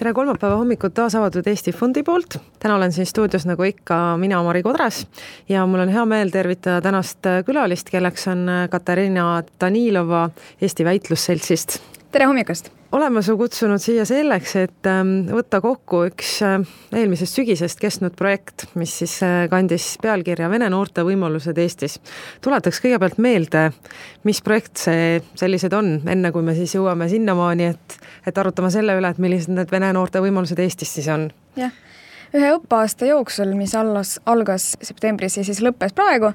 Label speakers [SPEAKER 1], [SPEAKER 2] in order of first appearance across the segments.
[SPEAKER 1] tere kolmapäeva hommikut taas avatud Eesti Fondi poolt. Täna olen siin stuudios nagu ikka mina, Mari Kodras, ja mul on hea meel tervitada tänast külalist, kelleks on Katariina Danilova Eesti Väitlusseltsist.
[SPEAKER 2] Tere hommikust!
[SPEAKER 1] Oleme su kutsunud siia selleks, et võtta kokku üks eelmisest sügisest kestnud projekt, mis siis kandis pealkirja Vene noorte võimalused Eestis. Tuletaks kõigepealt meelde, mis projekt see sellised on, enne kui me siis jõuame sinnamaani, et arutame selle üle, et millised need Vene noorte võimalused Eestis siis on.
[SPEAKER 2] Jah. Ühe õppeaasta jooksul, mis algas septembris ja siis lõppes praegu,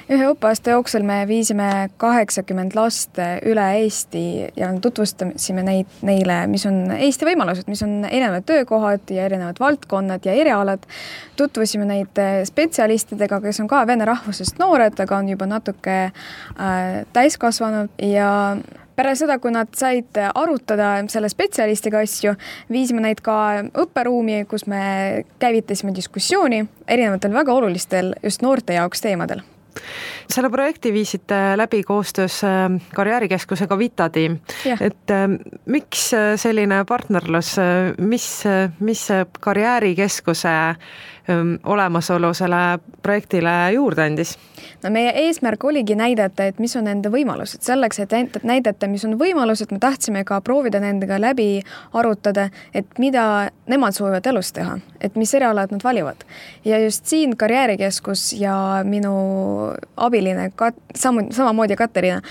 [SPEAKER 2] ühe õppeaasta jooksul me viisime 80 last üle Eesti ja tutvustasime neile, mis on Eesti võimalused, mis on erinevad töökohad ja erinevad valdkonnad ja erialad. Tutvusime neid spetsialistidega, kes on ka vene rahvusest noored, aga on juba natuke täiskasvanud ja pärast seda, kui nad said arutada selle spetsialistiga asju, viisime neid ka õpperuumi, kus me käivitasime diskussiooni erinevatel väga olulistel just noorte jaoks teemadel.
[SPEAKER 1] Selle projekti viisite läbi koostöös karjäärikeskusega Vitatiim. Et miks selline partnerlus, mis karjäärikeskuse olemasolu selle projektile juurde andis?
[SPEAKER 2] No meie eesmärk oligi näidata, et mis on nende võimalused. Selleks, et näidata, mis on võimalused, me tahtsime ka proovida nendega läbi arutada, et mida nemad soovivad elus teha, et mis erialad nad valivad. Ja just siin karjäärikeskus ja minu abiline, samamoodi Katariina,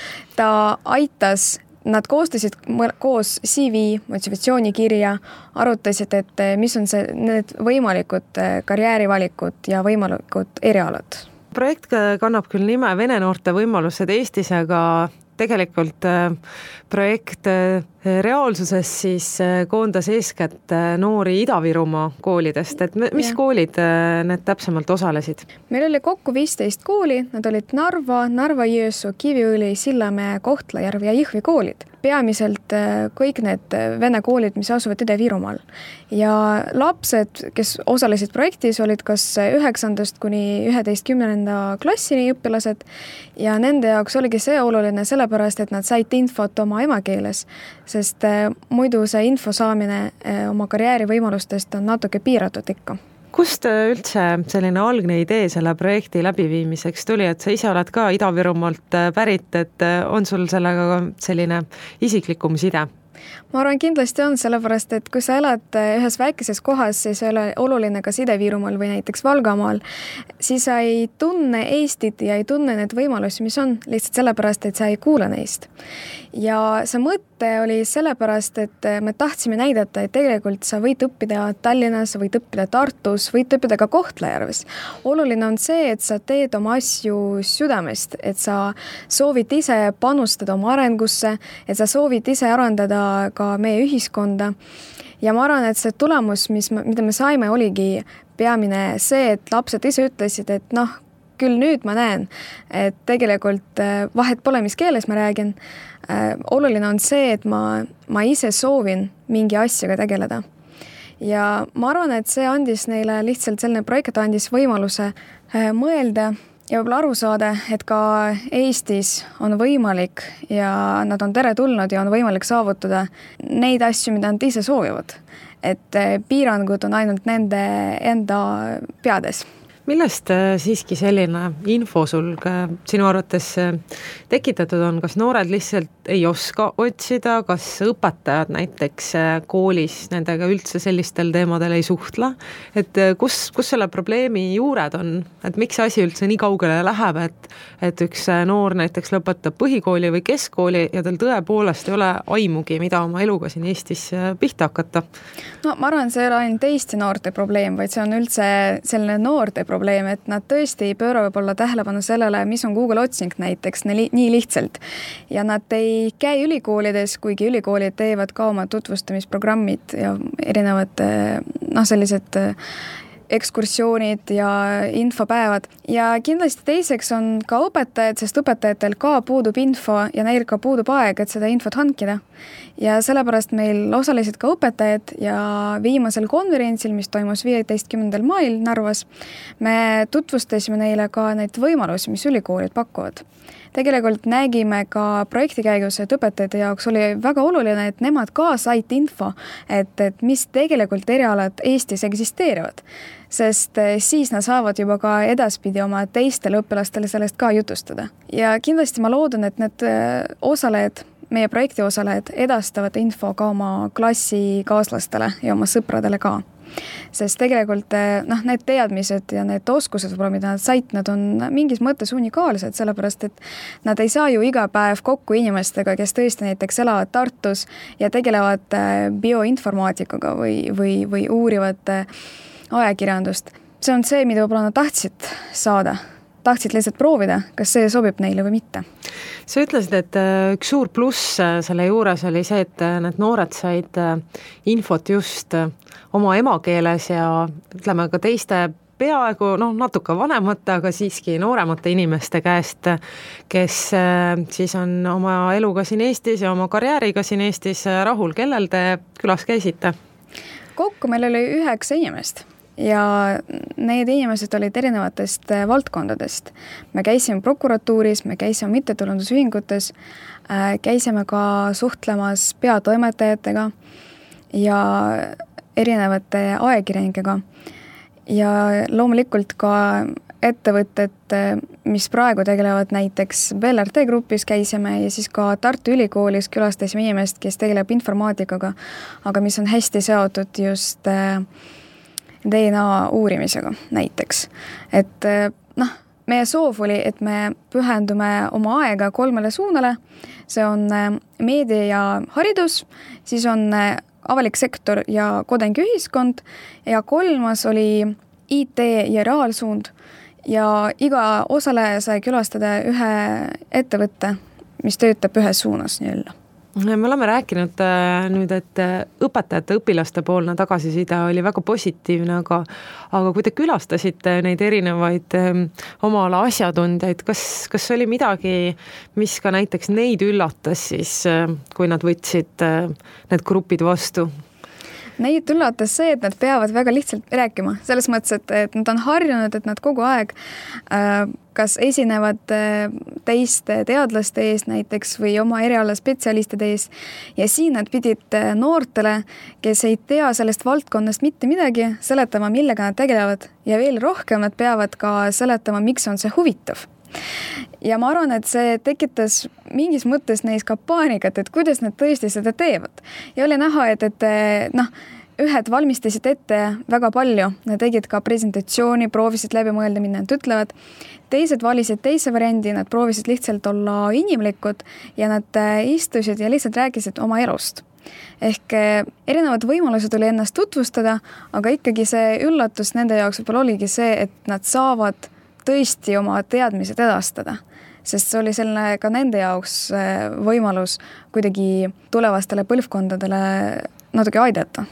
[SPEAKER 2] ta aitas. Nad koostasid koos CV, motivatsioonikirja, arutasid, et mis on need võimalikud karjäärivalikud ja võimalikud erialad.
[SPEAKER 1] Projekt kannab küll nime Vene noorte võimalused Eestis, aga tegelikult projekt reaalsuses siis koondas eeskätt noori Ida-Virumaa koolidest. Et mis koolid need täpsemalt osalesid?
[SPEAKER 2] Meil oli kokku 15 kooli, nad olid Narva-Jõesuu, Kiviõli, Sillamäe, Kohtla-Järv ja Jõhvi koolid. Peamiselt kõik need vene koolid, mis asuvad Ida-Virumaal. Ja lapsed, kes osalesid projektis, olid kas 9. kuni 11. klassini õpilased ja nende jaoks oligi see oluline sellepärast, et nad said infot oma emakeeles, sest muidu see info saamine oma karjäärivõimalustest on natuke piiratud ikka.
[SPEAKER 1] Kust üldse selline algne idee selle projekti läbiviimiseks tuli, et sa ise oled ka Ida-Virumaalt pärit, et on sul sellega selline isiklikum side?
[SPEAKER 2] Ma arvan, kindlasti on, sellepärast, et kui sa elad ühes väikeses kohas, siis ei ole oluline kas Ida-Virumaal või näiteks Valgamaal, siis sa ei tunne Eestit ja ei tunne need võimalusi, mis on lihtsalt sellepärast, et sa ei kuule neist. Ja see mõte oli sellepärast, et me tahtsime näidata, et tegelikult sa võid õppida Tallinnas, võid õppida Tartus, võid õppida ka Kohtla-Järves. Oluline on see, et sa teed oma asju südamest, et sa soovid ise panustada oma arengusse, et sa soovid ise arendada ka meie ühiskonda. Ja ma arvan, et see tulemus, mida me saime, oligi peamine see, et lapsed ise ütlesid, et küll nüüd ma näen, et tegelikult vahet pole, mis keeles ma räägin. Oluline on see, et ma ise soovin mingi asjaga tegeleda. Ja ma arvan, et see andis neile lihtsalt selline projekt andis võimaluse mõelda ja võib-olla aru saada, et ka Eestis on võimalik ja nad on teretulnud ja on võimalik saavutada neid asju, mida nad ise soovivad. Et piirangud on ainult nende enda peades.
[SPEAKER 1] Millest siiski selline info sul sinu arvates tekitatud on? Kas noored lihtsalt ei oska otsida, kas õpetajad näiteks koolis nendega üldse sellistel teemadel ei suhtla? Et kus selle probleemi juured on? Et miks asi üldse nii kaugele läheb, et üks noor näiteks lõpetab põhikooli või keskkooli ja tal tõepoolest ei ole aimugi, mida oma eluga siin Eestis pihta hakata?
[SPEAKER 2] No ma arvan, see ei ole ainult Eesti noorte probleem, vaid see on üldse selline noorte probleem, et nad tõesti ei pööra võib-olla tähelepanu sellele, mis on Google otsing näiteks nii lihtsalt. Ja nad ei käi ülikoolides, kuigi ülikoolid teevad ka oma tutvustamisprogrammid ja erinevad sellised ekskursioonid ja infopäevad. Ja kindlasti teiseks on ka õpetajad, sest õpetajatel ka puudub info ja neil ka puudub aeg, et seda infot hankida. Ja sellepärast meil osalesid ka õpetajad ja viimasel konverentsil, mis toimus 15. mail Narvas, me tutvustasime neile ka neid võimalusi, mis ülikoolid pakuvad. Tegelikult nägime ka projekti käigus, et õpetajate jaoks oli väga oluline, et nemad ka said info, et mis tegelikult erialad Eestis eksisteerivad. Sest siis nad saavad juba ka edaspidi oma teistele õpilastele sellest ka jutustada. Ja kindlasti ma loodan, et need osalejad, meie projekti osalejad edastavad info ka oma klassikaaslastele ja oma sõpradele ka. Sest tegelikult need teadmised ja need oskused, mida nad said, nad on mingis mõttes unikaalsed, sellepärast et nad ei saa ju iga päev kokku inimestega, kes tõesti näiteks elavad Tartus ja tegelevad bioinformaatikaga või uurivad ajakirjandust. See on see, mida võib-olla nad tahtsid saada. Tahtsid lihtsalt proovida, kas see sobib neile või mitte.
[SPEAKER 1] Sa ütlesid, et üks suur pluss selle juures oli see, et need noored said infot just oma emakeeles ja ütleme ka teiste peaaegu natuke vanemate, aga siiski nooremate inimeste käest, kes siis on oma eluga siin Eestis ja oma karjääriga siin Eestis rahul. Kellel te külas käisite?
[SPEAKER 2] Kokku meil oli 9 inimest. Ja need inimesed olid erinevatest valdkondadest. Me käisime prokuratuuris, me käisime mittetulundusühingutes, käisime ka suhtlemas peatoimetajatega ja erinevate ajakirjanikega. Ja loomulikult ka ettevõtted, mis praegu tegelevad näiteks BLRT grupis käisime ja siis ka Tartu Ülikoolis külastasime inimest, kes tegeleb informaatikaga, aga mis on hästi seotud just DNA uurimisega näiteks. Et meie soov oli, et me pühendume oma aega 3 suunale. See on meedia ja haridus, siis on avalik sektor ja kodanikuühiskond ja 3. oli IT ja reaalsuund ja iga osaleja sai külastada ühe ettevõtte, mis töötab ühes suunas nii-öelda.
[SPEAKER 1] Me oleme rääkinud nüüd, et õpetajate õpilaste poolne tagasiside oli väga positiivne, aga kui te külastasite neid erinevaid oma ala asjatundjaid, kas oli midagi, mis ka näiteks neid üllatas siis, kui nad võtsid need grupid vastu?
[SPEAKER 2] Neid üllatas see, et nad peavad väga lihtsalt rääkima. Selles mõttes, et nad on harjunud, et nad kogu aeg kas esinevad teiste teadlaste ees näiteks või oma eriala spetsialistide ees. Ja siin nad pidid noortele, kes ei tea sellest valdkonnast mitte midagi, seletama, millega nad tegelevad. Ja veel rohkem nad peavad ka seletama, miks on see huvitav. Ja ma arvan, et see tekitas mingis mõttes neis ka paanikat, et kuidas nad tõesti seda teevad. Ja oli näha, et ühed valmistasid ette väga palju. Nad tegid ka presentatsiooni, proovisid läbi mõelda, mida nad ütlevad. Teised valisid teise variandi, nad proovisid lihtsalt olla inimlikud ja nad istusid ja lihtsalt rääkisid oma elust. Ehk erinevad võimalused oli ennast tutvustada, aga ikkagi see üllatus nende jaoks võib-olla oligi see, et nad saavad tõesti oma teadmised edastada, sest see oli selline ka nende jaoks võimalus kuidagi tulevastele põlvkondadele natuke aidata.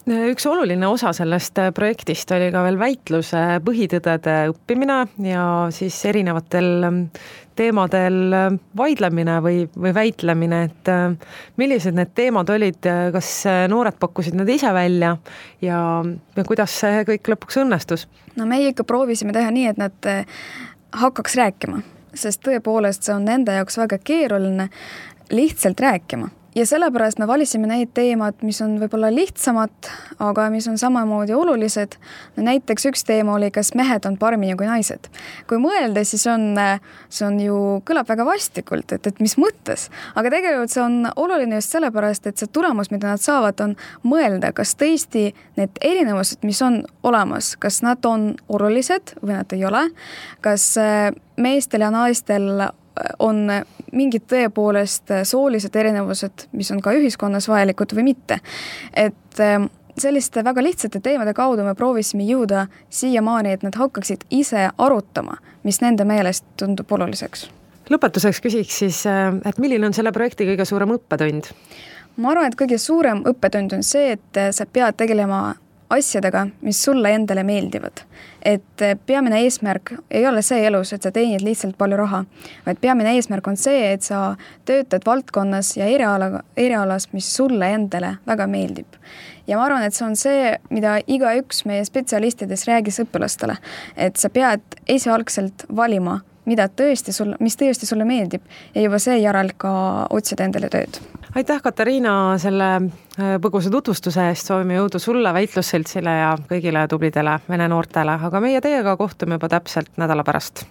[SPEAKER 1] Üks oluline osa sellest projektist oli ka veel väitluse põhitõdede õppimine ja siis erinevatel teemadel vaidlemine või väitlemine, et millised need teemad olid, kas noored pakkusid need ise välja ja kuidas see kõik lõpuks õnnestus?
[SPEAKER 2] No meie ikka proovisime teha nii, et nad hakkaks rääkima, sest tõepoolest see on nende jaoks väga keeruline lihtsalt rääkima. Ja sellepärast me valisime neid teemad, mis on võib-olla lihtsamad, aga mis on samamoodi olulised. No näiteks üks teema oli, kas mehed on paremini kui naised. Kui mõelda, siis see on ju kõlab väga vastikult, et mis mõttes. Aga tegelikult see on oluline just sellepärast, et see tulemus, mida nad saavad, on mõelda, kas tõesti need erinevused, mis on olemas, kas nad on olulised või nad ei ole, kas meestel ja naistel on mingid tõepoolest soolised erinevused, mis on ka ühiskonnas vajalikud või mitte. Et selliste väga lihtsate teemade kaudu me proovisime jõuda siiamaani, et nad hakkaksid ise arutama, mis nende meelest tundub oluliseks.
[SPEAKER 1] Lõpetuseks küsiks siis, et milline on selle projekti kõige suurem õppetund?
[SPEAKER 2] Ma arvan, et kõige suurem õppetund on see, et sa pead tegelema asjadega, mis sulle endale meeldivad. Et peamine eesmärk ei ole see elus, et sa teenid lihtsalt palju raha, vaid peamine eesmärk on see, et sa töötad valdkonnas ja erialas, mis sulle endale väga meeldib. Ja ma arvan, et see on see, mida igaüks meie spetsialistides räägis õpilastele, et sa pead esialgselt valima, mis tõesti sulle meeldib ja juba seejärel ka otsida endale tööd.
[SPEAKER 1] Aitäh, Katariina, selle põgusa tutvustuse eest, soovime jõudu sulle, Väitlusseltsile ja kõigile tublidele vene noortele, aga meie teiega kohtume juba täpselt nädala pärast.